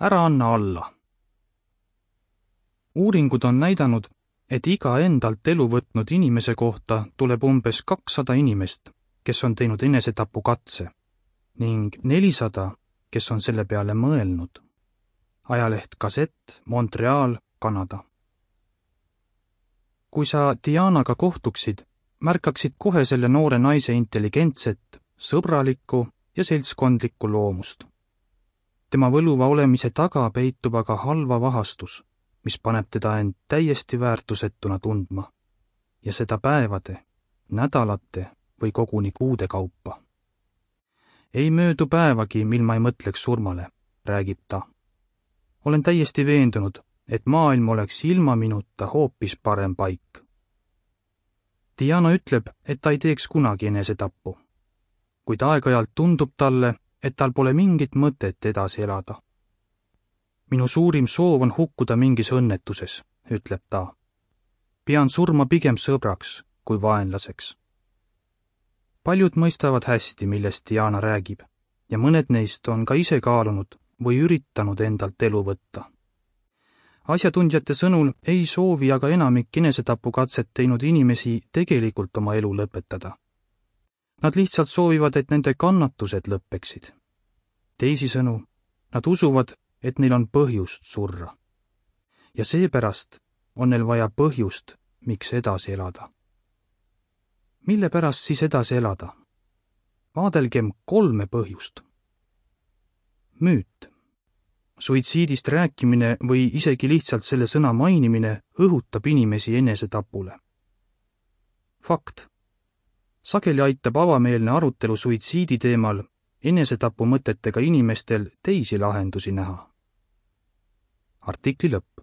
Ära anna alla. Uuringud on näidanud, et iga endalt elu võtnud inimese kohta tuleb umbes 200 inimest, kes on teinud enesetapukatse, ning 400, kes on selle peale mõelnud. Ajaleht Gazette, Montreal, Kanada. Kui sa Dianaga kohtuksid, märkaksid kohe selle noore naise intelligentset, sõbralikku ja seltskondlikku loomust. Tema võluva olemise taga peitub aga halva vahastus, mis paneb teda end täiesti väärtusetuna tundma, ja seda päevade, nädalate või koguni kuude kaupa. Ei möödu päevagi, mil ma ei mõtleks surmale, räägib ta. Olen täiesti veendunud, et maailm oleks ilma minuta hoopis parem paik. Diana ütleb, et ta ei teeks kunagi enesetappu, kuid aeg-ajalt tundub talle, et tal pole mingit mõtet edasi elada. Minu suurim soov on hukkuda mingis õnnetuses, ütleb ta. Pean surma pigem sõbraks kui vaenlaseks. Paljud mõistavad hästi, millest Diana räägib, ja mõned neist on ka ise kaalunud või üritanud endalt elu võtta. Asjatundjate sõnul ei soovi aga enamik enesetapukatset teinud inimesi tegelikult oma elu lõpetada. Nad lihtsalt soovivad, et nende kannatused lõppeksid. Teisisõnu, nad usuvad, et neil on põhjust surra. Ja seepärast on neil vaja põhjust, miks edasi elada. Mille pärast siis edasi elada? Vaadelgem 3 põhjust. Müüt. Suitsiidist rääkimine või isegi lihtsalt selle sõna mainimine õhutab inimesi enesetapule. Fakt. Sageli aitab avameelne arutelu suitsiidi teemal enesetapu mõtetega inimestel teisi lahendusi näha. Artikli lõpp.